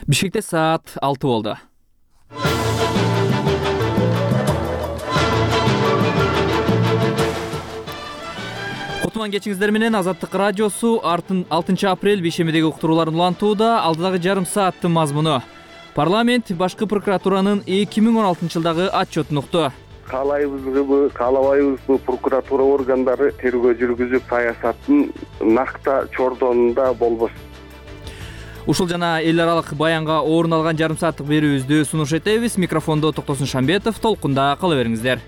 Бишкекте саат 6 болду. Кутман кечиңиздер менен Азаттык радиосу 6 апрель бейшембидеги уктурууларын улантууда. Алдыдагы жарым сааттын мазмуну: парламент башкы прокуратуранын 2016 жылдагы отчетун укту. Каалайбызбы, каалабайбызбы, прокуратура органдары тергөө жүргүзүп саясаттын накта чордонунда болбосун. Ушул жана эл аралык баянга орун алган жарым сааттык берүүбүздү сунуш этебиз. Микрофондо Токтосун Шамбетов. Толкунда кала бериңиздер.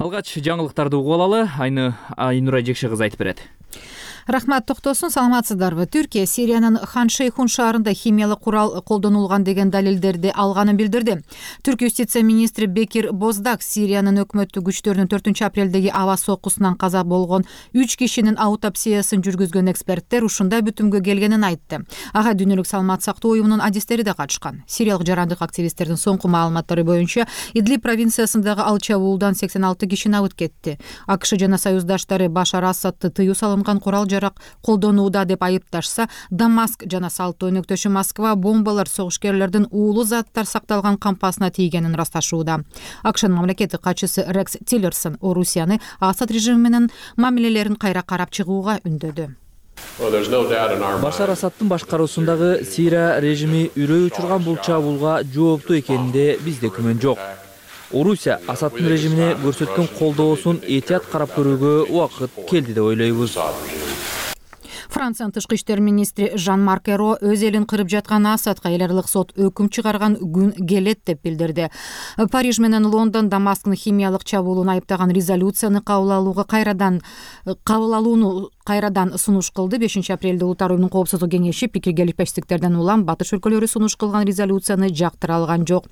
Алгач жаңылыктарды угуп алалы. Айнура Жекше кызы айтып берет. Рахмат, Токтосун, саламатсыздарбы? Түркия Сириянын Хан Шейхун шаарында химиялык курал колдонулган деген далилдерди алганын билдирди. Түрк юстиция министри Бекир Боздак Сириянын өкмөттүк күчтөрүнүн 4 апрелдеги аба соккусунан каза болгон 3 кишинин аутопсиясын жүргүзгөн эксперттер ушундай бүтүмгө келгенин айтты. Ага Дүйнөлүк саламат сактоо уюмунун адистери да катышкан. Сириялык жарандык активисттердин соңку маалыматтары боюнча Идлиб провинциясындагы ал чабуулдан 86 киши абыт кетти. АКШ жана союздаштары Башар Асадты тыюу салынган курал жарак колдонууда деп айыпташса, Дамаск жана салттуу өнөктөшү Москва бомбалар согушкерлердин уулуу заттар сакталган кампасына тийгенин ырасташууда. АКШнын мамлекеттик катчысы Рекс Тиллерсон Орусияны Асад режими менен мамилелерин кайра карап чыгууга үндөдү. Башар Асадтын башкаруусундагы Сирия режими үрөй учурган бул чабуулга жооптуу экенинде бизде күмөн жок. Орусия Асадтын режимине көрсөткөн колдоосун этият карап көрүүгө убакыт келди деп ойлойбуз. Франциянын тышкы иштер министри Жан-Марк Эро өз элин кырып жаткан Асадка эл аралык сот өкүм чыгарган күн келет деп билдирди. Париж менен Лондон Дамасктын химиялык чабуулун айыптаган резолюцияны кабыл алууну кайрадан сунуш кылды. 5 апрелде Улуттар уюмунун коопсуздук кеңеши пикирге илишпештиктерден улам батыш өлкөлөрү сунуш кылган резолюцияны жактыра алган жок.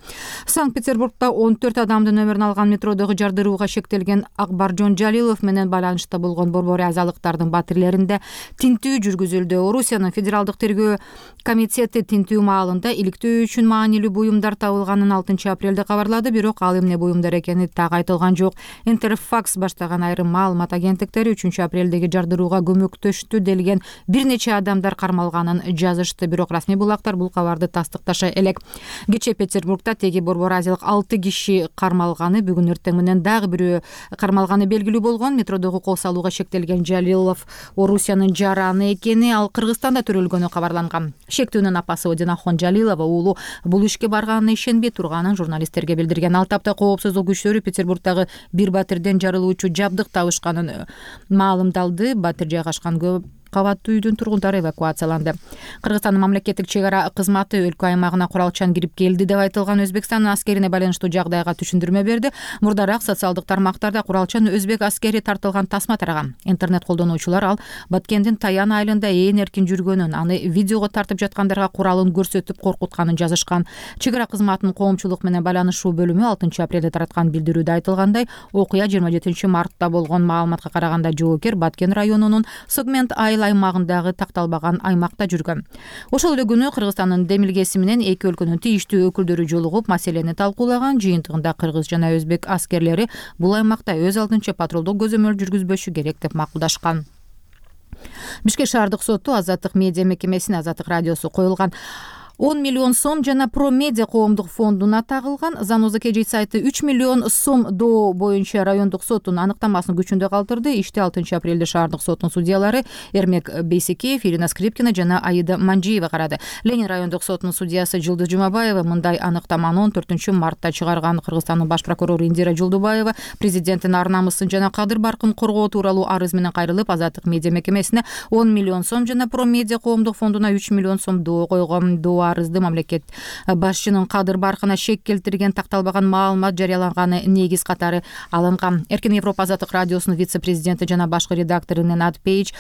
Санкт-Петербургда 14 адамдын өмүрүн алган метродогу жардырууга шектелген Акбаржон Жалилов менен байланышта болгон борбор азалыктардын батирлеринде тинтүү жүргүзүлдү. Орусиянын федералдык тергөө комитети тинтүү маалында иликтөө үчүн маанилүү буюмдар табылганын 6 апрелде кабарлады, бирок ал эмне буюмдар экени так айтылган жок. Интерфакс баштаган айрым маалымат агенттиктери 3 апрелдеги жардырууга көмөктөштү делген бир нече адамдар кармалганын жазышты, бирок расмий булактар бул кабарды тастыкташа элек. Кечээ Петербургда теги борбор азиялык 6 киши кармалганы, бүгүн эртең менен дагы бирөө кармалганы белгилүү болгон. Метродогу кол салууга шектелген Жалилов Орусиянын жараны экени, ал Кыргызстанда төрөлгөнү кабарланган. Шектүүнүн апасы Одинахон Жалилова уулу бул ишке барганына ишенбей турганын журналисттерге билдирген. Ал тапта коопсуздук күчтөрү Петербургдагы бир батирден жарылуучу жабдык табышканын маалымдалды. Батир жайгашкан көп кабаттуу үйдүн тургундары эвакуацияланды. Кыргызстандын мамлекеттик чек ара кызматы өлкө аймагына куралчан кирип келди деп айтылган Өзбекстандын аскерине байланыштуу жагдайга түшүндүрмө берди. Мурдараак социалдык тармактарда куралчан өзбек аскери тартылган тасма тараган. Интернет колдонуучулар ал Баткендин Таян айылында ээн эркин жүргөнүн, аны видеого тартып жаткандарга куралын көрсөтүп коркутканын жазышкан. Чек ара кызматынын коомчулук менен байланышуу бөлүмү 6 апрелде тараткан билдирүүдө айтылгандай, окуя 27 мартта болгон. Маалыматка караганда жоокер Баткен районунун Сегмент аймагындагы такталбаган аймакта жүргөн. Ошол эле күнү Кыргызстандын демилгеси менен эки өлкөнүн тийиштүү өкүлдөрү жолугуп маселени талкуулаган. Жыйынтыгында кыргыз жана өзбек аскерлери бул аймакта өз алдынча патрулдук көзөмөл жүргүзбөшү керек деп макулдашкан. Бишкек шаардык соту Азаттык медиа мекемесине Азаттык радиосу коюлган 10 миллион сом жана Про Медиа коомдук фондуна тагылган Заноза KG сайты 3 миллион сом доо боюнча райондук соттун аныктамасын күчүндө калтырды. Ишти 6 апрелде шаардык соттун судьялары Эрмек Бейсекеев, Ирина Скрипкина жана Аида Манжиева карады. Ленин райондук соттунун судьясы Жылдыз Жумабаева мындай аныктаманы 14 мартта чыгарган. Кыргызстандын баш прокурору Индира Жолдубаева президенттин ар намысын жана кадыр баркын коргоо тууралуу арыз менен кайрылып, Азаттык медиа мекемесине 10 миллион сом жана Про Медиа коомдук фондуна 3 миллион сом доо койгон. Арызды мамлекет башчынын кадыр баркына шек келтирген, такталбаган маалымат жарыяланганы негиз катары алынган. Эркин Европа Азаттык радиосунун вице-президенти жана башкы редактору Ненад Пейдж: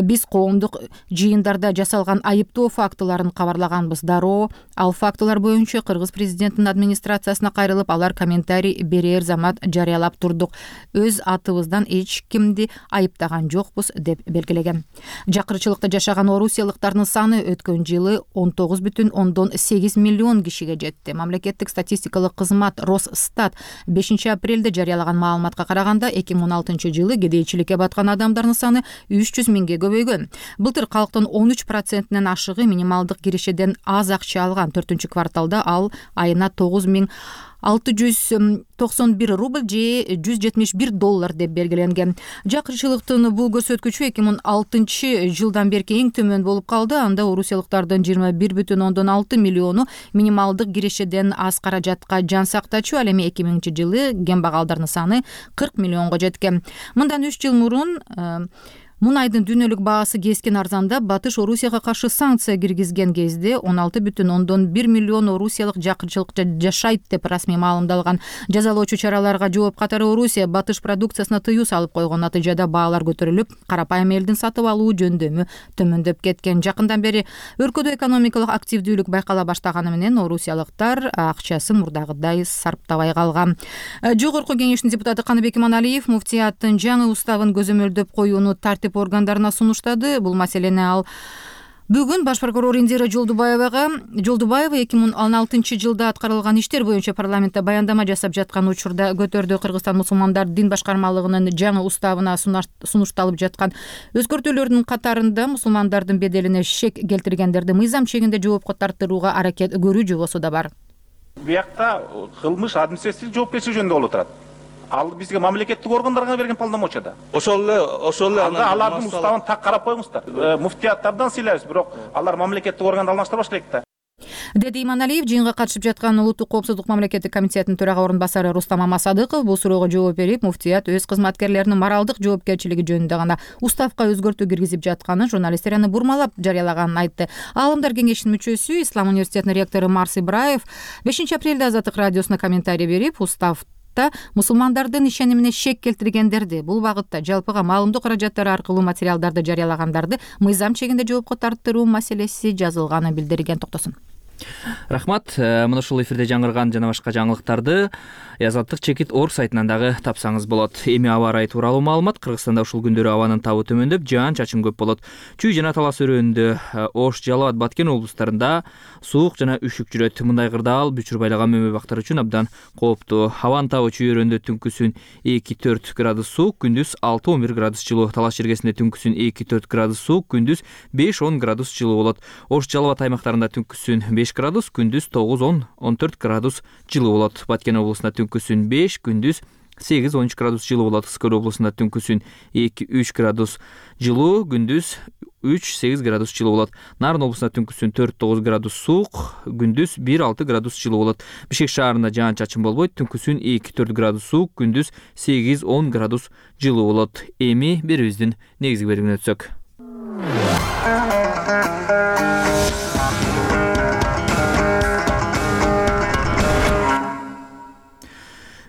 биз коомдук жыйындарда жасалган айыптоо фактыларын кабарлаганбыз. Дароо ал фактылар боюнча кыргыз президентинин администрациясына кайрылып, алар комментарий берер замат жарыялап турдук. Өз атыбыздан эч кимди айыптаган жокпуз деп белгилеген. Жакырчылыкта жашаган орусиялыктардын саны өткөн жылы 19,6 1,8 миллион кишиге жетти. Мамлекеттик статистикалык кызмат Росстат 5-апрелде жарыялаган маалыматка караганда 2016-жылы кедейчиликке баткан адамдардын саны 300 миңге көбөйгөн. Былтыр калктын 13%-нен ашыгы минималдык кирешеден аз акча алган. 4-кварталда ал айына 9691 рубль же $171 деп белгиленген. Жакырчылыктын бул көрсөткүчү 2006-жылдан берки эң төмөн болуп калды. Анда орусиялыктардын 21,6 миллиону минималдык кирешеден аз каражатка жан сактачу. Ал эми 2000-жылы кембагалдардын саны 40 миллионго жеткен. Мындан 3 жыл мурун мунайдын дүйнөлүк баасы кескен арзандап, Батыш Орусияга каршы санкция киргизген кезде 16,1 миллион орусиялык жакырчылыкта жашайт деп расмий маалымдалган. Жазалоочу чараларга жооп катары Орусия Батыш продукциясына тыюу салып койгон. Натыйжада баалар көтөрүлүп, карапайым элдин сатып алуу жөндөмү төмөндөп кеткен. Жакындан бери өлкөдө экономикалык активдүүлүк байкала баштаганы менен орусиялыктар акчасын мурдагыдай сарптабай калган. Жогорку кеңештин депутаты Каныбек Иманалиев муфтияттын жаңы уставын көзөмөлдөп коюуну тартип органдарына сунуштады. Бул маселени ал бүгүн баш прокурор Индира Жолдубаева 2016-жылда аткарылган иштер боюнча парламентте баяндама жасап жаткан учурда көтөрдү. Кыргызстан мусулмандар дин башкармалыгынын жаңы уставына сунушталып жаткан өзгөртүүлөрдүн катарында мусулмандардын беделине шек келтиргендерди мыйзам чегинде жоопко тартырууга аракет көрүү жобосу да бар. Буякта кылмыш административдик жоопкерчилик жөнүндө болуп турат. Ал бизге мамлекеттик органдарга берген полномочияда. Ошол эле алардын уставын так карап коюңуздар. Муфтияттардан сыйлайбыз, бирок алар мамлекеттик органды алмаштырбаш керек да. Деди Иманалиев жыйынга катышып жаткан Улуттук коопсуздук мамлекеттик комитетинин төрага орун басары Рустам Амасадыков бул суроого жооп берип, муфтият өз кызматкерлеринин моралдык жоопкерчилиги жөнүндө гана уставка өзгөртүү киргизип жатканын, журналисттер аны бурмалап жарыялаганын айтты. Аалымдар кеңешинин мүчөсү, Ислам университетинин ректору Марс Ибраев 5-апрелде Азаттык радиосуна комментарий берип, устав мусулмандардын ишенимине шек келтиргендерди, бул багытта жалпыга маалымдоо каражаттары аркылуу материалдарды жарыялагандарды мыйзам чегинде жоопко тартыруу маселеси жазылганын билдирген. Токтосун. Рахмат. Мына ушул эфирде жаңырган жана башка жаңылыктарды Азаттык чекит орг сайтынан дагы тапсаңыз болот. Эми аба ырайы тууралуу маалымат. Кыргызстанда ушул күндөрү абанын табы төмөндөп, жаан-чачын көп болот. Чүй жана Талас өрөөнүндө, Ош, Жалал Абад, Баткен облустарында суук жана үшүк жүрөт. Мындай кырдаал бүчүр байлаган мөмө бактар үчүн абдан кооптуу. Абанын табы чүй өрөөнүндө түнкүсүн 2-4 градус суук, күндүз 6-11 градус жылуу. Талас жергесинде түнкүсүн 2-4 градус суук, күндүз 5-10 градус жылуу болот. Ош, Жалал Абад аймактарында түнкүсүн 5 градус, күндүз 9-10-14 градус жылуу болот. Баткен облусунда түнкүсүн 5, күндүз 8-13 градус жылуу болот. Скөл облусунда түнкүсүн 2-3 градус жылуу, күндүз 3-8 градус жылуу болот. Нарын облусунда түнкүсүн 4-9 градус суук, күндүз 1-6 градус жылуу болот. Бишкек шаарында жаан-чачын болбойт, түнкүсүн 2-4 градус суук, күндүз 8-10 градус жылуу болот. Эми берүүбүздүн негизги бөлүгүнө өтсөк.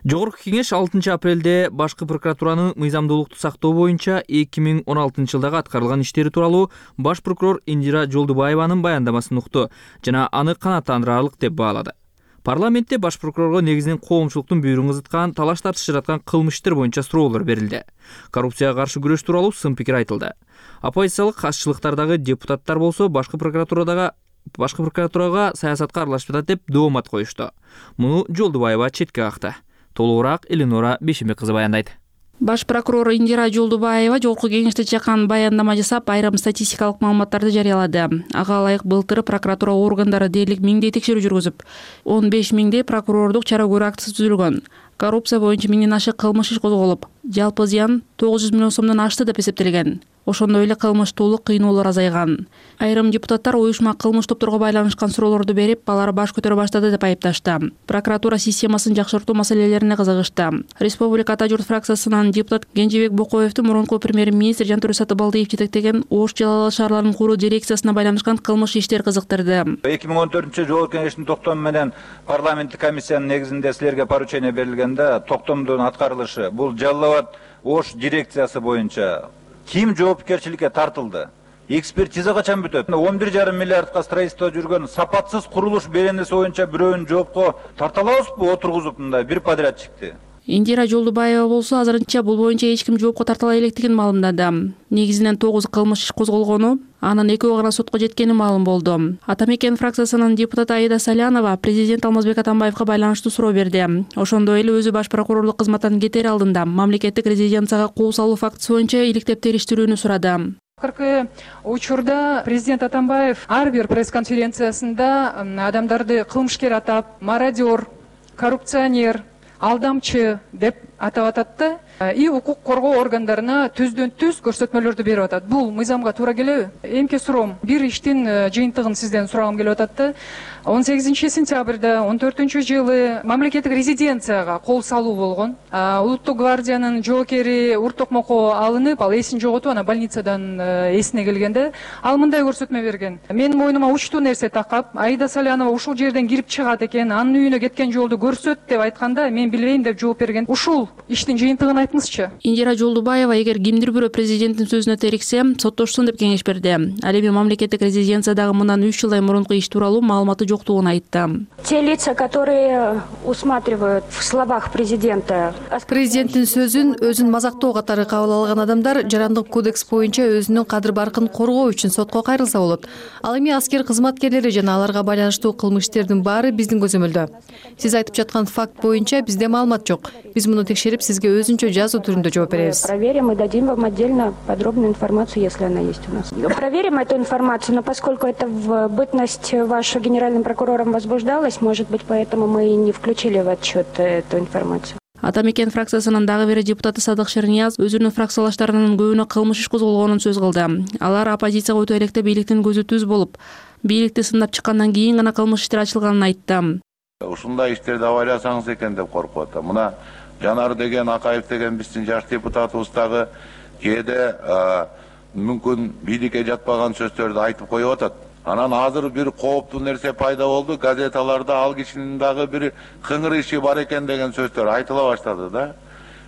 Жогорку кеңеш 6-апрелде башкы прокуратуранын мыйзамдуулукту сактоо боюнча 2016-жылдагы аткарылган иштери тууралуу баш прокурор Индира Жолдубаеванын баяндамасын укту жана аны канааттандырарлык деп баалады. Парламентте баш прокурорго негизинен коомчулуктун бүйүрүн кызыткан, талаш тартыш жараткан кылмыш иштер боюнча суроолор берилди. Коррупцияга каршы күрөш тууралуу сын пикир айтылды. Оппозициялык азчылыктардагы депутаттар болсо башкы прокуратурага саясатка аралашып жатат деп доомат коюшту. Муну Жолдубаева четке какты. Толугураак Эленора Бейшенбек кызы баяндайт. Баш прокурор Индира Жолдубаева жогорку кеңеште чакан баяндама жасап, айрым статистикалык маалыматтарды жарыялады. Ага ылайык былтыр прокуратура органдары дээрлик 1000 текшерүү жүргүзүп, 15 миңдей прокурордук чара көрүү актысы түзүлгөн. Коррупция боюнча 1000ден ашык кылмыш иш козголуп, жалпы зыян 900 миллион сомдон ашты деп эсептелген. Ошондой эле кылмыштуулук, кыйноолор азайган. Айрым депутаттар уюшма кылмыш топторго байланышкан суроолорду берип, алар баш көтөрө баштады деп айыпташты. Прокуратура системасын жакшыртуу маселелерине кызыгышты. Республика Ата журт фракциясынан депутат Кенжебек Бокоевдун мурунку премьер-министр Жантөре Сатыбалдиев жетектеген Ош, Жалал Абад шаарларынын куруу дирекциясына байланышкан кылмыш иштер кызыктырды. 2014 жогорку кеңештин токтому менен парламенттик комиссиянын негизинде силерге поручение берилгенде токтомдун аткарылышы бул Жалал Абад Ош дирекциясы боюнча ким жоопкерчиликке тартылды? Экспертиза качан бүтөт? 11,5 миллиардка строительство жүргөн сапатсыз курулуш беренеси боюнча бирөөнү жоопко тарта алабызбы отургузуп мындай бир подрядчикти? Индира Жолдубаева болсо азырынча бул боюнча эч ким жоопко тартыла электигин маалымдады. Негизинен 9 кылмыш иш козголгону, анын 2 гана сотко жеткени маалым болду. Ата мекен фракциясынын депутаты Аида Салянова президент Алмазбек Атамбаевга байланыштуу суроо берди. Ошондой эле өзү баш прокурорлук кызматтан кетер алдында мамлекеттик резиденцияга кол салуу фактысы боюнча иликтеп териштирүүнү сурады. Акыркы учурда президент Атамбаев ар бир пресс-конференциясында адамдарды кылмышкер атап, мародер, коррупционер, алдамчы деп атап атат и укук коргоо органдарына түздөн-түз көрсөтмөлөрдү берип атат. Бул мыйзамга туура келеби? Эмке суроом, бир иштин жыйынтыгын сизден сурагым келип атат. 18 сентябрда 14-жылы мамлекеттик резиденцияга кол салуу болгон. Улуттук гвардиянын жоокери уртокмокко алынып, ал эсин жоготуп, анан больницадан эсине келгенде ал мындай көрсөтмө берген. Менин мойнума учтуу нерсе такап, Аида Салянова ушул жерден кирип чыгат экен, анын үйүнө кеткен жолду көрсөт деп айтканда, мен билбейм деп жооп берген. Ушул иштин жыйынтыгын айтыңызчы. Индира Жолдубаева эгер кимдир бирөө президенттин сөзүнө териксе, соттошсун деп кеңеш берди. Ал эми мамлекеттик резиденциядагы мындан 3 жылдай мурунку иш тууралуу маалыматы жоктугун айтты. Те лица, которые усматривают в словах президента. Президенттин сөзүн өзүн мазактоо катары кабыл алган адамдар жарандык кодекс боюнча өзүнүн кадыр баркын коргоо үчүн сотко кайрылса болот. Ал эми аскер кызматкерлери жана аларга байланыштуу кылмыштердин баары биздин көзөмөлдө. Сиз айтып жаткан факт боюнча бизде маалымат жок. Биз муну текшерип, сизге өзүнчө жазуу түрүндө жооп беребиз. Проверим и дадим вам отдельно подробную информацию, если она есть у нас. Проверим эту информацию, но поскольку это в бытность вашу генеральным прокурором возбуждалось, может быть, поэтому мы и не включили в отчет эту информацию. Ата мекен фракциясынын дагы бир депутаты Садык Шернияз өзүнүн фракциялаштарынын көбүнө кылмыш иш козголгонун сөз кылды. Алар оппозицияга өтө электе бийликтин көзү түз болуп, бийликти сындап чыккандан кийин гана кылмыш иштер ачылганын айтты. Ушундай иштерди аба элесаңыз экен деп коркуп атам. Мына Жанар деген, Акаев деген биздин жаш депутатыбыз дагы кээде мүмкүн бийликке жатпаган сөздөрдү айтып коюп атат. Анан азыр бир кооптуу нерсе пайда болду. Газеталарда ал кишинин дагы бир кыңыр иши бар экен деген сөздөр айтыла баштады да.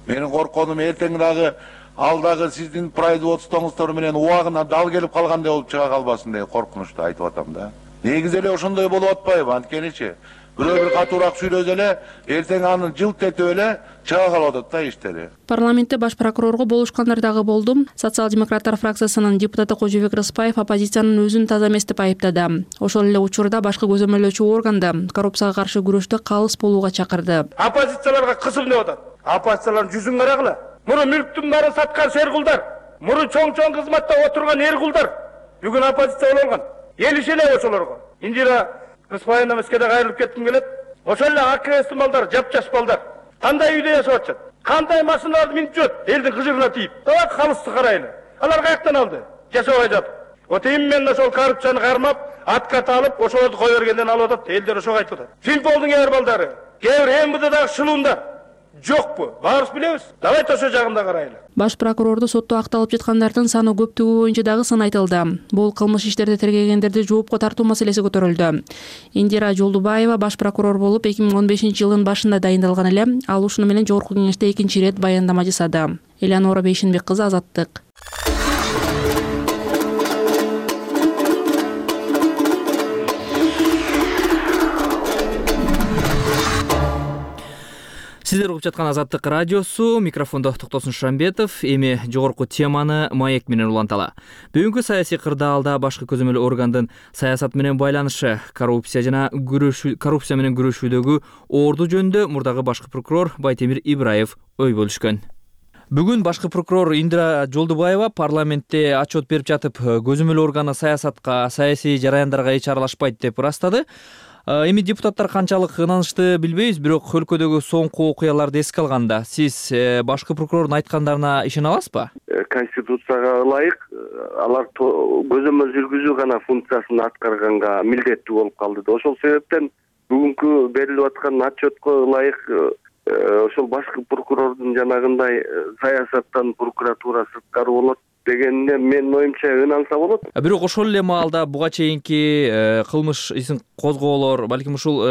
Менин корконум эртең дагы ал дагы сиздин производствоңуздар менен убагына дал келип калгандай болуп чыга калбасын деген коркунучту айтып атам да. Негизи эле ошондой болуп атпайбы? Анткеничи бирөө бир катуураак сүйлөсө эле эртең аны жылт этип эле чыга калып атат да иштери. Парламентте баш прокурорго болушкандар дагы болду. Социал-демократтар фракциясынын депутаты Кожобек Рыспаев оппозициянын өзүн таза эмес деп айыптады. Ошол эле учурда башкы көзөмөлдөөчү органды коррупцияга каршы күрөштө калыс болууга чакырды. Оппозицияларга кысым деп атат. Оппозициялардын жүзүн карагыла. Муну мүлктүн баарын саткан шеркулдар, муну чоң-чоң кызматта отурган эркулдар бүгүн оппозиция болгон. Эл ишенеби ошолорго? Индира Рыспаевна Мескеде кайрылып кетким келет. Ошол эле АКСтин балдар, жап-жаш балдар. Кандай үйдө жашап атышат? Кандай машиналарды минип жүрөт? Элдин кыжырына тийип. Давай калысты карайлы. Алар каяктан алды? Жашабай жатып. Вот именно ошол коррупцияны кармап, атката алып, ошолорду кое бергенден алып атат. Элдер ошого айтып атат. Финполдун кээ бир балдары, кээ бир МВДдагы шылуундар жокпу? Баарыбыз билебиз. Давайте ошо жагында карайлы. Баш прокурорду сотто акталып жаткандардын саны көптүгү боюнча дагы сын айтылды. Бул кылмыш иштерди тергегендерди жоопко тартуу маселеси көтөрүлдү. Индира Жолдубаева баш прокурор болуп 2015-жылдын башында дайындалган эле. Ал ушуну менен жогорку кеңеште экинчи ирет баяндама жасады. Элеонора Бейшенбек кызы, Азаттык. Сиздер угуп жаткан Азаттык радиосу, микрофондо Токтосун Шамбетов. Эми жогорку теманы маек менен уланталы. Бүгүнкү саясий кырдаалда башкы көзөмөл органдын саясат менен байланышы, коррупция менен күрөшүүдөгү орду жөнүндө мурдагы башкы прокурор Байтемир Ибраев ой бөлүшкөн. Бүгүн башкы прокурор Индира Жолдубаева парламентте отчет берип жатып, көзөмөл органы саясатка, саясий жараяндарга эч аралашпайт деп ырастады. Эми депутаттар канчалык ынанышты билбейбиз, бирок өлкөдөгү соңку окуяларды эске алганда, сиз башкы прокурордун айткандарына ишене аласызбы? Конституцияга ылайык алар көзөмөл жүргүзүү гана функциясын аткарганга милдеттүү болуп калды. Ошол себептен бүгүнкү берилип аткан отчетко ылайык ошол башкы прокурордун жанагындай саясаттан прокуратура сырткары болот дегенде менин оюмча ынанса болот. Бирок ошол эле маалда буга чейинки кылмыш ишин козгоолор, балким ушул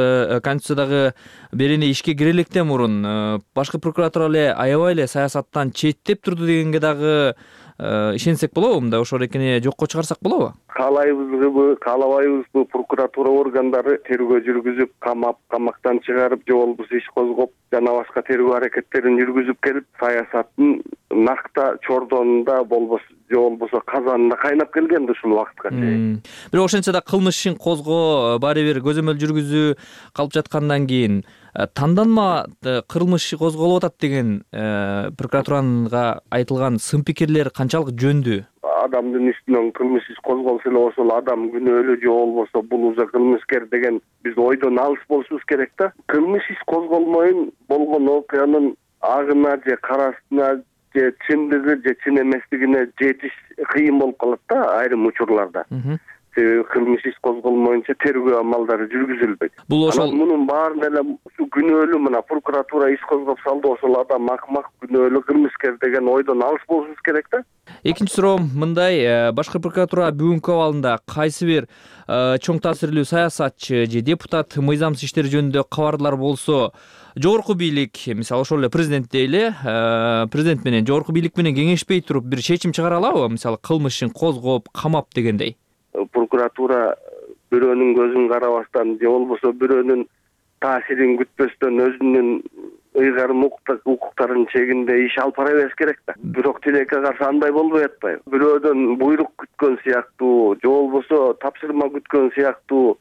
Конституциядагы берене ишке кире электен мурун башкы прокуратура эле аябай эле саясаттан четтеп турду дегенге дагы ишенсек болобу, мындай ошол эркине жокко чыгарсак болобу? Каалайбызбы, каалабайбызбы, прокуратура органдары тергөө жүргүзүп, камактан чыгарып же болбосо иш козгоп, жана башка тергөө аракеттерин жүргүзүп келип, саясаттын накта чордонунда же болбосо казанында кайнап келген да ушул убакытка чейин. Бирок ошентсе да кылмыш ишин козгоо, баары бир көзөмөл жүргүзүү калып жаткандан кийин танданма кылмыш иши козголуп атат деген прокуратуранга айтылган сын пикирлер канчалык жөндүү? Адамдын үстүнөн кылмыш иш козголсо эле ошол адам күнөөлүү же болбосо бул уже кылмыскер деген биз ойдон алыс болушубуз керек да. Кылмыш иш козголмойн болгон окуянын агына же карасына же чындыгы же чын эместигине жетиш кыйын болуп калат да айрым учурларда. Себеби кылмыш иш козголмоюнча тергөө амалдары жүргүзүлбөйт. Бул ошол мунун баарын эле күнөөлүү мына прокуратура иш козгоп салды, ошол адам акмак, күнөөлүү, кылмыскер деген ойдон алыс болушубуз керек да. Экинчи суроом мындай, башкы прокуратура бүгүнкү абалында кайсы бир чоң таасирлүү саясатчы же депутат мыйзамсыз иштер жөнүндө кабарлар болсо, жогорку бийлик, мисалы ошол эле президент дейли, президент менен жогорку бийлик менен кеңешпей туруп бир чечим чыгара алабы? Мисалы кылмыш ишин козгоп, камап дегендей. Прокуратура бирөөнүн көзүн карабастан же болбосо бирөөнүн таасирин күтпөстөн өзүнүн ыйгарым укуктарынын чегинде иш алып бара бериш керек да. Бирок тилекке каршы андай болбой атпайбы? Бирөөдөн буйрук күткөн сыяктуу же болбосо тапшырма күткөн сыяктуу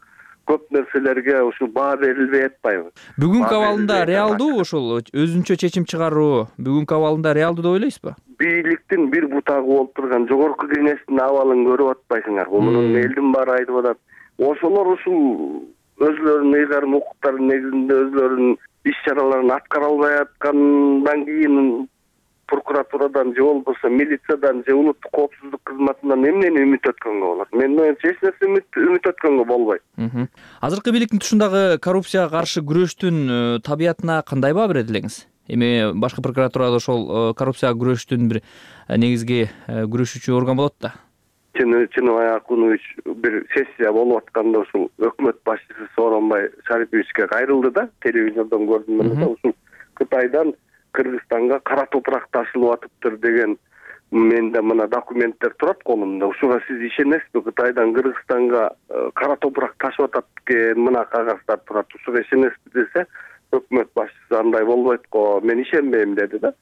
көп нерселерге ушул баа берилбей атпайбы? Бүгүнкү абалында реалдуу ошол өзүнчө чечим чыгаруу бүгүнкү абалында реалдуу деп ойлойсузбу? Бийликтин бир бутагы болуп турган жогорку кеңештин абалын көрүп атпайсыңарбы? Мунун элдин баары айтып атат. Ошолор ушул өзлөрүнүн ыйгарым укуктарынын негизинде өзлөрүнүн иш чараларын аткара албай аткандан кийин прокуратурадан же болбосо милициядан же улуттук коопсуздук кызматынан эмнени үмүт өткөнгө болот? Мен оюмча эч нерсе үмүт өткөнгө болбойт. Азыркы бийликтин тушундагы коррупцияга каршы күрөштүн табиятына кандай баа берет элеңиз? Эми башкы прокуратурада ошол коррупцияга күрөштүн бир негизги күрөшүүчү орган болот да. Чыныбай Акунович бир сессия болуп атканда ушул өкмөт башчысы Сооронбай Шариповичке кайрылды да, телевизордон көрдүм мен да, ушул Кытайдан Кыргызстанга кара топурак ташылып атыптыр деген менде мына документтер турат колумда. Ушуга сиз ишенесизби? Кытайдан Кыргызстанга кара топурак ташып атат экен, мына кагаздар турат. Ушуга ишенесизби десе, өкмөт башчысы андай болбойт го, мен ишенбейм деди да.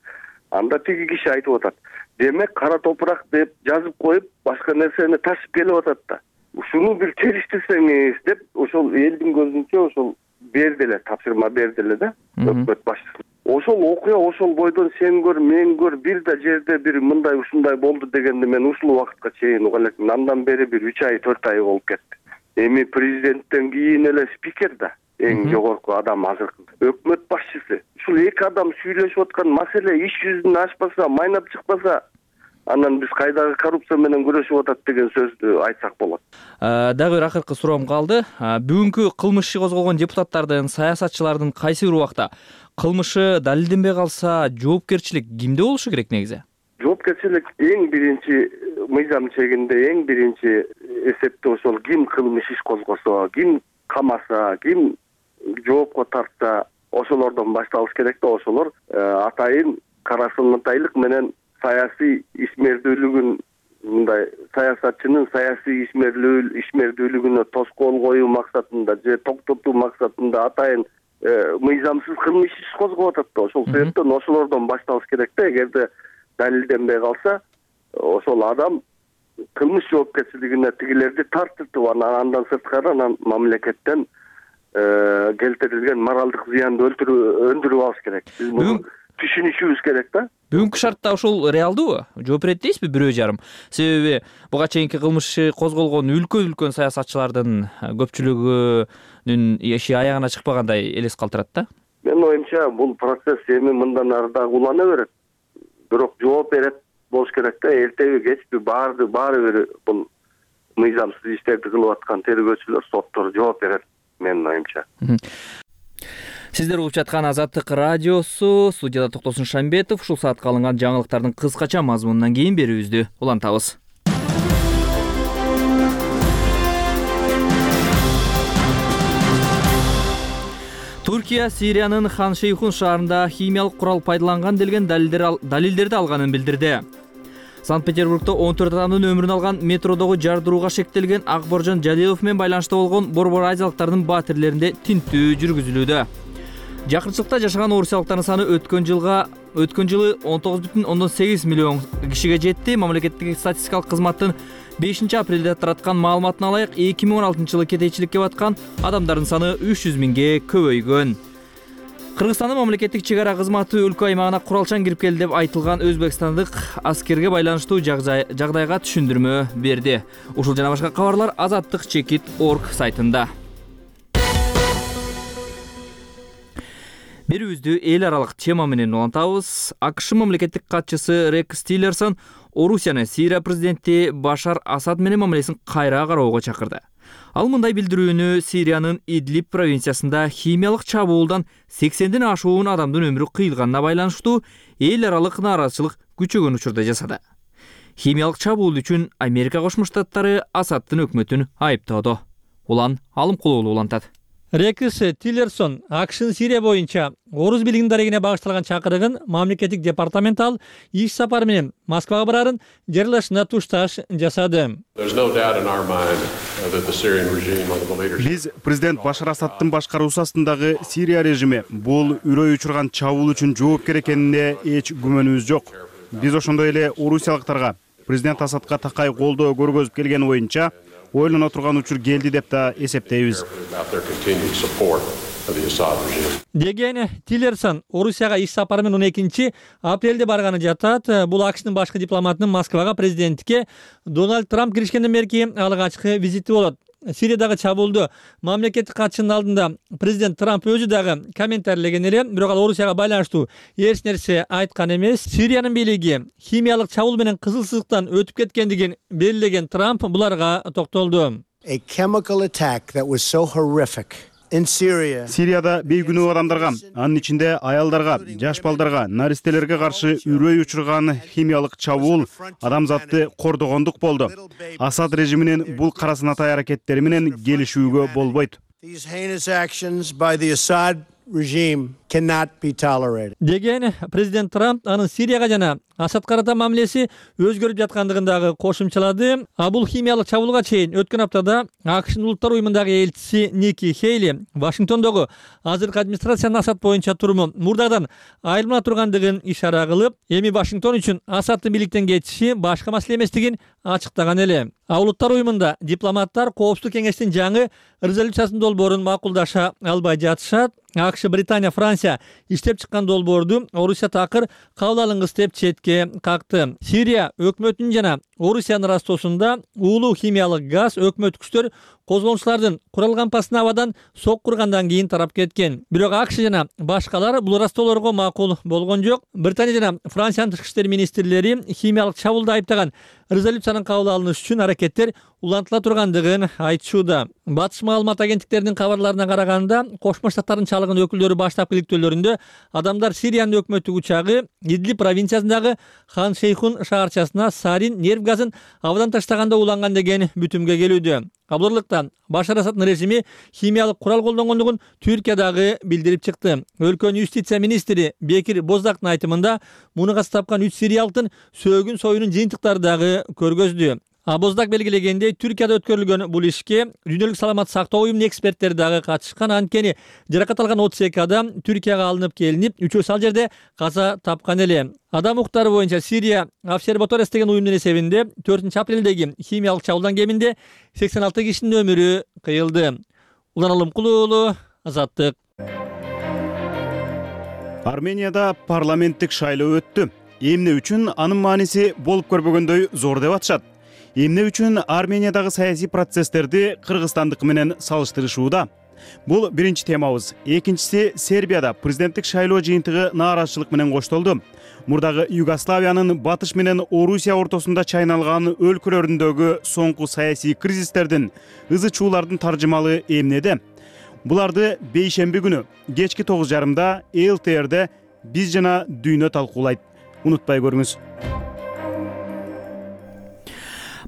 Анда тиги киши айтып атат. Демек кара топурак деп жазып коюп, башка нерсени ташып келип атат да. Ушуну бир териштирсеңиз деп ошол элдин көзүнчө ошол берди эле, тапшырма берди эле да өкмөт башчысы. Ошол окуя ошол бойдон сен көр, мен көр, бир да жерде бир мындай ушундай болду дегенди мен ушул убакытка чейин уга элекмин. Андан бери бир 3 ай 4 ай болуп кетти. Эми президенттен кийин эле спикер да эң жогорку адам азыркы өкмөт башчысы. Ушул эки адам сүйлөшүп аткан маселе иш жүзүнөн ашпаса, майнап чыкпаса, анан биз кайдагы коррупция менен күрөшүп атат деген сөздү айтсак болот. Дагы бир акыркы суроом калды. Бүгүнкү кылмыш иши козголгон депутаттардын, саясатчылардын кайсы бир убакта кылмышы далилденбей калса, жоопкерчилик кимде болушу керек негизи? Жоопкерчилик эң биринчи мыйзам чегинде эң биринчи эсепте ошол ким кылмыш иш козгосо, ким камаса, ким жоопко тартса, ошолордон башталыш керек да. Ошолор атайын карасылыктайлык менен саясий ишмердүүлүгүн, мындай саясатчынын саясий ишмердүүлүгүнө тоскоол коюу максатында же токтотуу максатында атайын мыйзамсыз кылмыш иш козгоп атат да. Ошол себептен ошолордон башталыш керек да. Эгерде далилденбей калса, ошол адам кылмыш жоопкерчилигине тигилерди тартып, андан сырткары анан мамлекеттен келтирилген моралдык зыянды өндүрүп алыш керек. Биз муну түшүнүшүбүз керек да. Бүгүнкү шартта ошол реалдуубу? Жооп берет дейсизби бирөө жарым? Себеби буга чейинки кылмыш козголгон үлкөн саясатчылардын көпчүлүгүнүн иши аягына чыкпагандай элес калтырат да. Менин оюмча бул процесс эми мындан ары дагы улана берет. Бирок жооп берет болуш керек да. Эртеби кечпи баары бир бул мыйзамсыз иштерди кылып аткан тергөөчүлөр, соттор жооп берет менин оюмча. Сиздер угуп жаткан Азаттык радиосу, студияда Токтосун Шамбетов. Ушул саатка алынган жаңылыктардын кыскача мазмунунан кийин берүүбүздү улантабыз. Туркия Сириянын Хан Шейхун шаарында химиялык курал пайдаланган делген далилдерди алганын билдирди. Санкт-Петербургда 14 адамдын өмүрүн алган метродогу жардырууга шектелген Акборжон Жалилов менен байланышта болгон борбор азиялыктардын батирлеринде тинтүү жүргүзүлүүдө. Жакынчылыкта жашаган орусиялыктардын саны өткөн жылы 19,8 миллион кишиге жетти. Мамлекеттик статистикалык кызматтын 5-апрелде тараткан маалыматына ылайык 2016 жылы кетейчиликке баткан адамдардын саны 300 миңге көбөйгөн. Кыргызстандын мамлекеттик чек ара кызматы өлкө аймагына куралчан кирип келди деп айтылган өзбекстандык аскерге байланыштуу жагдайга түшүндүрмө берди. Ушул жана башка кабарлар azattik.org сайтында. Берүүбүздү эл аралык тема менен улантабыз. АКШ мамлекеттик катчысы Рекс Тиллерсон Орусияны Сирия президенти Башар Асад менен мамилесин кайра кароого чакырды. Ал мындай билдирүүнү Сириянын Идлиб провинциясында химиялык чабуулдан 80ден ашуун адамдын өмүрү кыйылганына байланыштуу эл аралык нааразычылык күчөгөн учурда жасады. Химиялык чабуул үчүн Америка Кошмо Штаттары Асадтын өкмөтүн айыптоодо. Улан Алымкулуулу улантат. Рекс Тиллерсон АКШнын Сирия боюнча орус бийлигинин дарегине багышталган чакырыгын мамлекеттик департамент алып иш сапары менен Москвага барарын жарыялашына тушташ жасады. Биз президент Башар Асадтын башкаруусу астындагы Сирия режими бул үрөй учурган чабуул үчүн жоопкер экенине эч күмөнүбүз жок. Биз ошондой эле орусиялыктарга президент Асадка такай колдоо көргөзүп келгени боюнча ойлоно турган учур келди деп да эсептейбиз. Деген Тиллерсон Орусияга иш сапары менен 12-апрелде барганы жатат. Бул АКШнын башкы дипломатынын Москвага президентке Дональд Трамп киришкенден берки алгачкы визити болот. Сириядагы чабуулду мамлекеттик катчынын алдында президент Трамп өзү дагы комментарийлеген эле, бирок ал Орусияга байланыштуу эч нерсе айткан эмес. Сириянын бийлиги химиялык чабуул менен кызыл сызыктан өтүп кеткендигин белгилеген Трамп буларга токтолду. Сирияда бейгүнөө адамдарга, анын ичинде аялдарга, жаш балдарга, наристелерге каршы үрөй учурган химиялык чабуул адамзатты кордогондук болду. Асад режиминин бул карасынатай аракеттери менен келишүүгө болбойт. Деген президент Трамп анын Сирияга жана Асад карата мамилеси өзгөрүп жаткандыгын дагы кошумчалады. Бул химиялык чабуулга чейин өткөн аптада АКШнын улуттар уюмундагы элчиси Ники Хейли Вашингтондогу азыркы администрациянын Асад боюнча туруму мурдагыдан айырмала тургандыгын ишара кылып, эми Вашингтон үчүн Асадтын бийликтен кетиши башка маселе эместигин ачыктаган эле. Улуттар уюмунда дипломаттар Коопсуздук кеңештин жаңы резолюциясынын долбоорун макулдаша албай жатышат. АКШ, Британия, Франция иштеп чыккан долбоорду Орусия такыр кабыл алынгыс деп четке какты. Сирия өкмөтүнүн жана Орусиянын ырастоосунда уулуу химиялык газ өкмөт күчтөр козголгучулардын куралган пасына абадан сок кургандан кийин тарап кеткен. Бирок АКШ жана башкалар бул ырастоолорго макул болгон жок. Британия жана Франциянын тышкы иштер министрлери химиялык чабуулду айыптаган резолюциянын кабыл алынышы үчүн аракеттер улантыла тургандыгын айтышууда. Батыш маалымат агенттиктеринин кабарларына караганда, Кошмо Штаттардын чалыгын өкүлдөрү баштапкы иликтөөлөрүндө адамдар Сириянын өкмөттүк учагы Идлиб провинциясындагы Хан Шейхун шаарчасына сарин нерв газын абадан таштаганда уланган деген бүтүмгө келүүдө. Абдырлыктан Башар Асадтын режими химиялык курал колдонгондугун Түркия дагы билдирип чыкты. Өлкөнүн юстиция министри Бекир Боздактын айтымында муну кастапкан 3 сириялыктын сөөгүн союунун жыйынтыктары дагы көргөздү. Боздак белгилегендей, Түркияда өткөрүлгөн бул ишке Дүйнөлүк саламат сактоо уюмунун эксперттери дагы катышкан. Анткени жаракат алган 32 адам Түркияга алынып келинип, 3-өөсү ал жерде каза тапкан эле. Адам укуктары боюнча Сирия Обсерваториясы деген уюмдун эсебинде 4-апрелдеги химиялык чабуулдан кеминде 86 кишинин өмүрү кыйылды. Улан Алымкулуулу, Азаттык. Арменияда парламенттик шайлоо өттү. Эмне үчүн анын мааниси болуп көрбөгөндөй зор деп атышат. Эмне үчүн Армениядагы саясий процесстерди Кыргызстандыкы менен салыштырышууда? Бул биринчи темабыз. Экинчиси, Сербияда президенттик шайлоо жыйынтыгы нааразычылык менен коштолду. Мурдагы Югославиянын батыш менен Орусия ортосунда чайналган өлкөлөрүндөгү соңку саясий кризистердин, ызы чуулардын таржымалы эмнеде? Буларды бейшемби күнү кечки 9:30 ЛТРде биз жана дүйнө талкуулайт. Унутпай көрүңүз.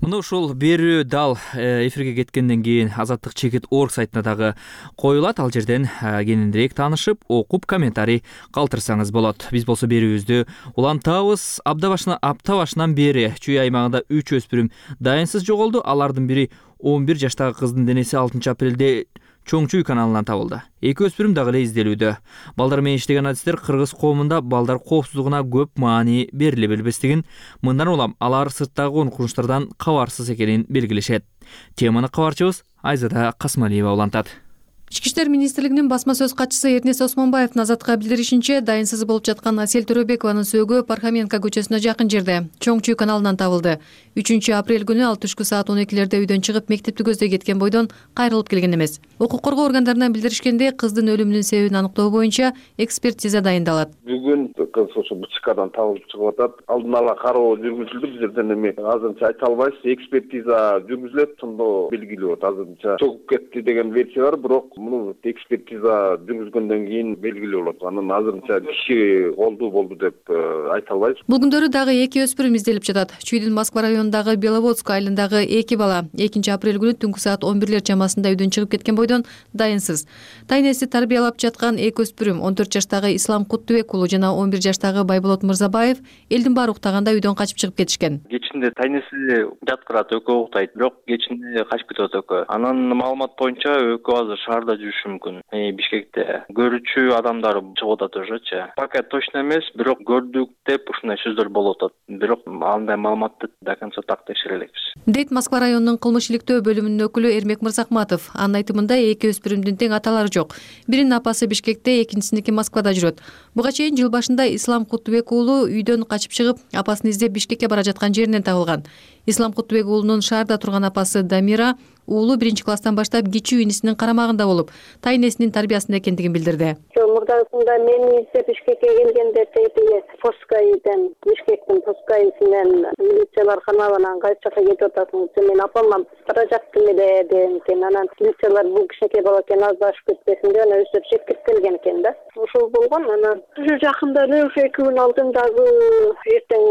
Мына ушул берүү дал эфирге кеткенден кийин Азаттык чекит орг сайтына дагы коюлат. Ал жерден кененирээк таанышып, окуп, комментарий калтырсаңыз болот. Биз болсо берүүбүздү улантабыз. Апта башынан бери Чүй аймагында 3 өспүрүм дайынсыз жоголду. Алардын бири 11 жаштагы кыздын денеси 6 апрелде Чоң Чүй каналынан табылды. 2 өспүрүм дагы эле изделүүдө. Балдар менен иштеген адистер кыргыз коомунда балдар коопсуздугуна көп маани бериле билбестигин, мындан улам алар сырттагы коркунучтардан кабарсыз экенин белгилешет. Теманы кабарчыбыз Айзада Касмалиева улантат. Ички иштер министрлигинин басма сөз катчысы Эрнес Осмонбаевдин Азатка билдиришинче, дайынсыз болуп жаткан Асель Төрөбекованын сөөгү Пархоменко көчөсүнө жакын жерде Чоң Чүй каналынан табылды. 3 апрель күнү ал түшкү саат 12-лерде үйдөн чыгып мектепти көздөй кеткен бойдон кайрылып келген эмес. Укук коргоо органдарынан билдиришкенде, кыздын өлүмүнүн себебин аныктоо боюнча экспертиза дайындалат. Бүгүн кыз ошо БЧКдан табылып чыгып атат. Алдын ала кароо жүргүзүлдү. Биздерден эми азырынча айта албайбыз. Экспертиза жүргүзүлөт, тындоо белгилүү болот. Азырынча чогуп кетти деген версия бар, бирок муну экспертиза жүргүзгөндөн кийин белгилүү болот. Анан азырынча киши болду деп айта албайбыз. Бул күндөрү дагы 2 өспүрүм изделип жатат. Чүйдүн Москва районундагы Беловодск айылындагы 2 бала 2 апрель күнү түнкү саат 11-лер чамасында үйдөн чыгып кеткен бойдон дайынсыз. Тайнеси тарбиялап жаткан 2 өспүрүм 14 жаштагы Ислам Куттубек уулу жана 11 жаштагы Байболот Мырзабаев элдин баары уктаганда үйдөн качып чыгып кетишкен. Кечинде тайнеси жаткырат, экөө уктайт, бирок кечинде качып кетип атат экөө. Анан маалымат боюнча экөө азыр шаарда жүрүшү мүмкүн. Бишкекте көрүүчү адамдар чыгып атат ошочу. Пока точно эмес, бирок көрдүк деп ушундай сөздөр болуп атат. Бирок андай маалыматты до конца так текшере элекпиз. Дейт Москва районунун кылмыш иликтөө бөлүмүнүн өкүлү Эрмек Мырзахматов. Анын айтымында 2 өспүрүмдүн тең аталары жок. Биринин апасы Бишкекте, экинчисиники Москвада жүрөт. Буга чейин жыл башында Ислам Куттубек уулу үйдөн качып чыгып, апасын издеп Бишкекке бара жаткан жеринен табылган. Ислам Куттубек уулунун шаарда турган апасы Дамира уулу 1-класстан баштап кичүү инисинин карамагында болуп, тайнесинин тарбиясында экендигин билдирди. Мурдасында мени издеп Бишкекке келгенде Поскайден, Бишкектин Поскайсынан милициялар каналынан кайсы жака кетип атасың? Мен апамдан бара жактым эле деген экен. Анан милициялар бул кичинекей бала экен, аздашып кетпесин деп анан өздөрү чекип келген экен да. Ошол болгон. Анан ушу жакында эле 2 күн алдын дагы эртең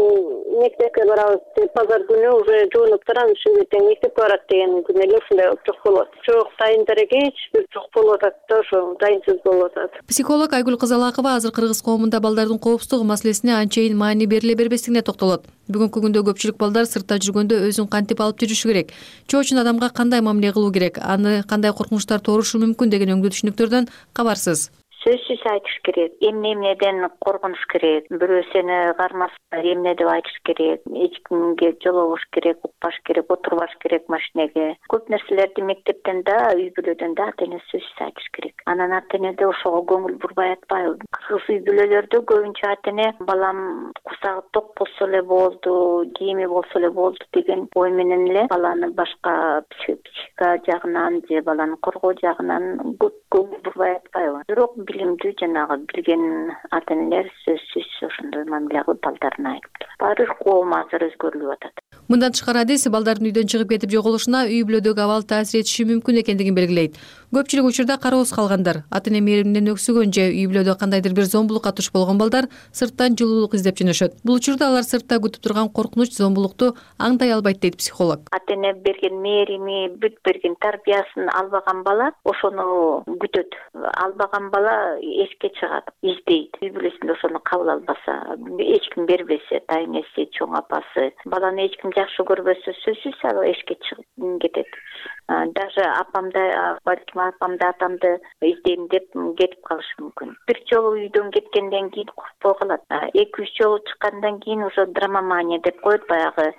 мектепке барабыз деп базар күнү уже жуунуп турам, эртең мектепке барат деген күнү эле ушундай жок болот. Жок, дайындар экен, эч бир жок болуп атат да, ошо дайынсыз болуп атат. Психолог Айгүл Кызалакова азыр кыргыз коомунда балдардын коопсуздугу маселесине анчейин маани бериле бербестигине токтолот. Бүгүнкү күндө көпчүлүк балдар сыртта жүргөндө өзүн кантип алып жүрүшү керек, чоочун адамга кандай мамиле кылуу керек, аны кандай коркунучтар туурушу мүмкүн деген өңдүү түшүнүктөрдөн кабарсыз. Сөзсүз айтыш керек. Эмнеден коргонуш керек. Бирөө сени кармаса эмне деп айтыш керек. Эч кимге жолобош керек, укпаш керек, отурбаш керек машинеге. Көп нерселерди мектептен да, үй бүлөдөн да ата-эне сөзсүз айтыш керек. Анан ата-энеде ошого көңүл бурбай атпайбы. Кыргыз үй бүлөлөрдө көбүнчө ата-эне балам курсагы ток болсо эле болду, кийими болсо эле болду деген ой менен эле баланы башка психика жагынан же баланы коргоо жагынан көп көңүл бурбай атпайбы. Бирок билимдүү жанагы билген ата-энелер сөзсүз ошондой мамиле кылып балдарына айтып. Баары коом азыр өзгөрүлүп атат. Мындан тышкары адис балдардын үйдөн чыгып кетип жоголушуна үй бүлөдөгү абал таасир этиши мүмкүн экендигин белгилейт. Көпчүлүк учурда кароосуз калгандар, ата-эне мээриминен өксүгөн же үй бүлөдө кандайдыр бир зомбулукка туш болгон балдар сырттан жылуулук издеп жөнөшөт. Бул учурда алар сыртта күтүп турган коркунуч, зомбулукту аңдай албайт дейт психолог. Ата-эне берген мээрими, бүт берген тарбиясын албаган бала ошону күтөт. Албаган бала эшикке чыгат, издейт. Үй бүлөсүндө ошону кабыл албаса, эч ким бербесе, тайнеси, чоң апасы, баланы эч ким жакшы көрбөсө сөзсүз ал эшикке чыгып кетет. Даже апамды, балким апамды, атамды издейм деп кетип калышы мүмкүн. Бир жолу үйдөн кеткенден кийин коркпой калат. 2-3 жолу чыккандан кийин уже драмамания деп коет, баягы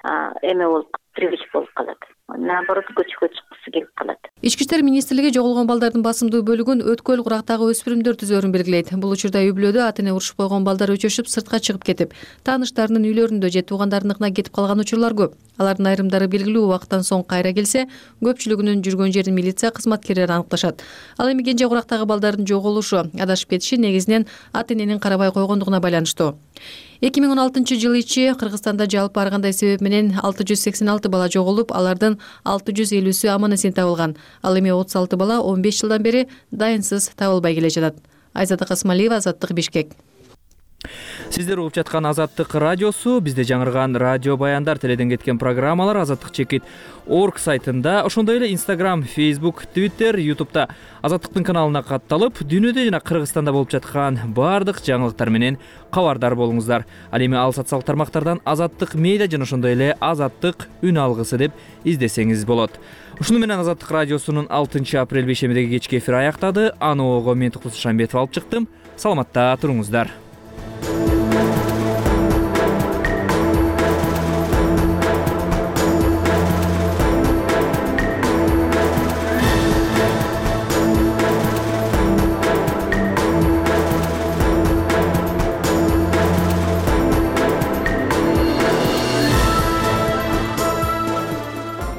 эме болуп, привычка болуп калат. Наоборот, көчкө чыккысы келип калат. Ички иштер министрлиги жоголгон балдардын басымдуу бөлүгүн өткөл курактагы өспүрүмдөр түзөөрүн белгилейт. Бул учурда үй бүлөдө ата-эне урушуп койгон балдар өчөшүп сыртка чыгып кетип, тааныштарынын үйлөрүндө же туугандарыныкына кетип калган учурлар көп. Алардын айрымдары белгилүү убакыттан соң кайра келсе, көпчүлүгүнүн жүргөн жерин милиция кызматкерлери аныкташат. Ал эми кенже курактагы балдардын жоголушу, адашып кетиши негизинен ата-эненин карабай койгондугуна байланыштуу. 2016 жыл ичи Кыргызстанда жалпы ар кандай себеп менен 686 бала жоголуп, алардын 650сү аман-эсен табылган. Ал эми 36 бала 15 жылдан бери дайынсыз табылбай келе жатат. Айзада Касмалиева, Азаттык, Бишкек. Сиздер угуп жаткан Азаттык радиосу. Бизде жаңырган радио баяндар теледен кеткен программалар Азаттык-org сайтында, ошондой эле Instagram, Facebook, Twitter, YouTube'да Азаттыктын каналына катталып, дүйнөдө жана Кыргызстанда болуп жаткан баардык жаңылыктар менен кабардар болуңуздар. Ал эми ал социалдык тармактардан Азаттык медиа жана ошондой эле Азаттык үн алгысы деп издесеңиз болот. Ушуну менен Азаттык радиосунун 6 апрель бейшембидеги кечки эфири аяктады. Аны ого мен Туктус Шамбетов алып чыктым. Саламатта туруңуздар.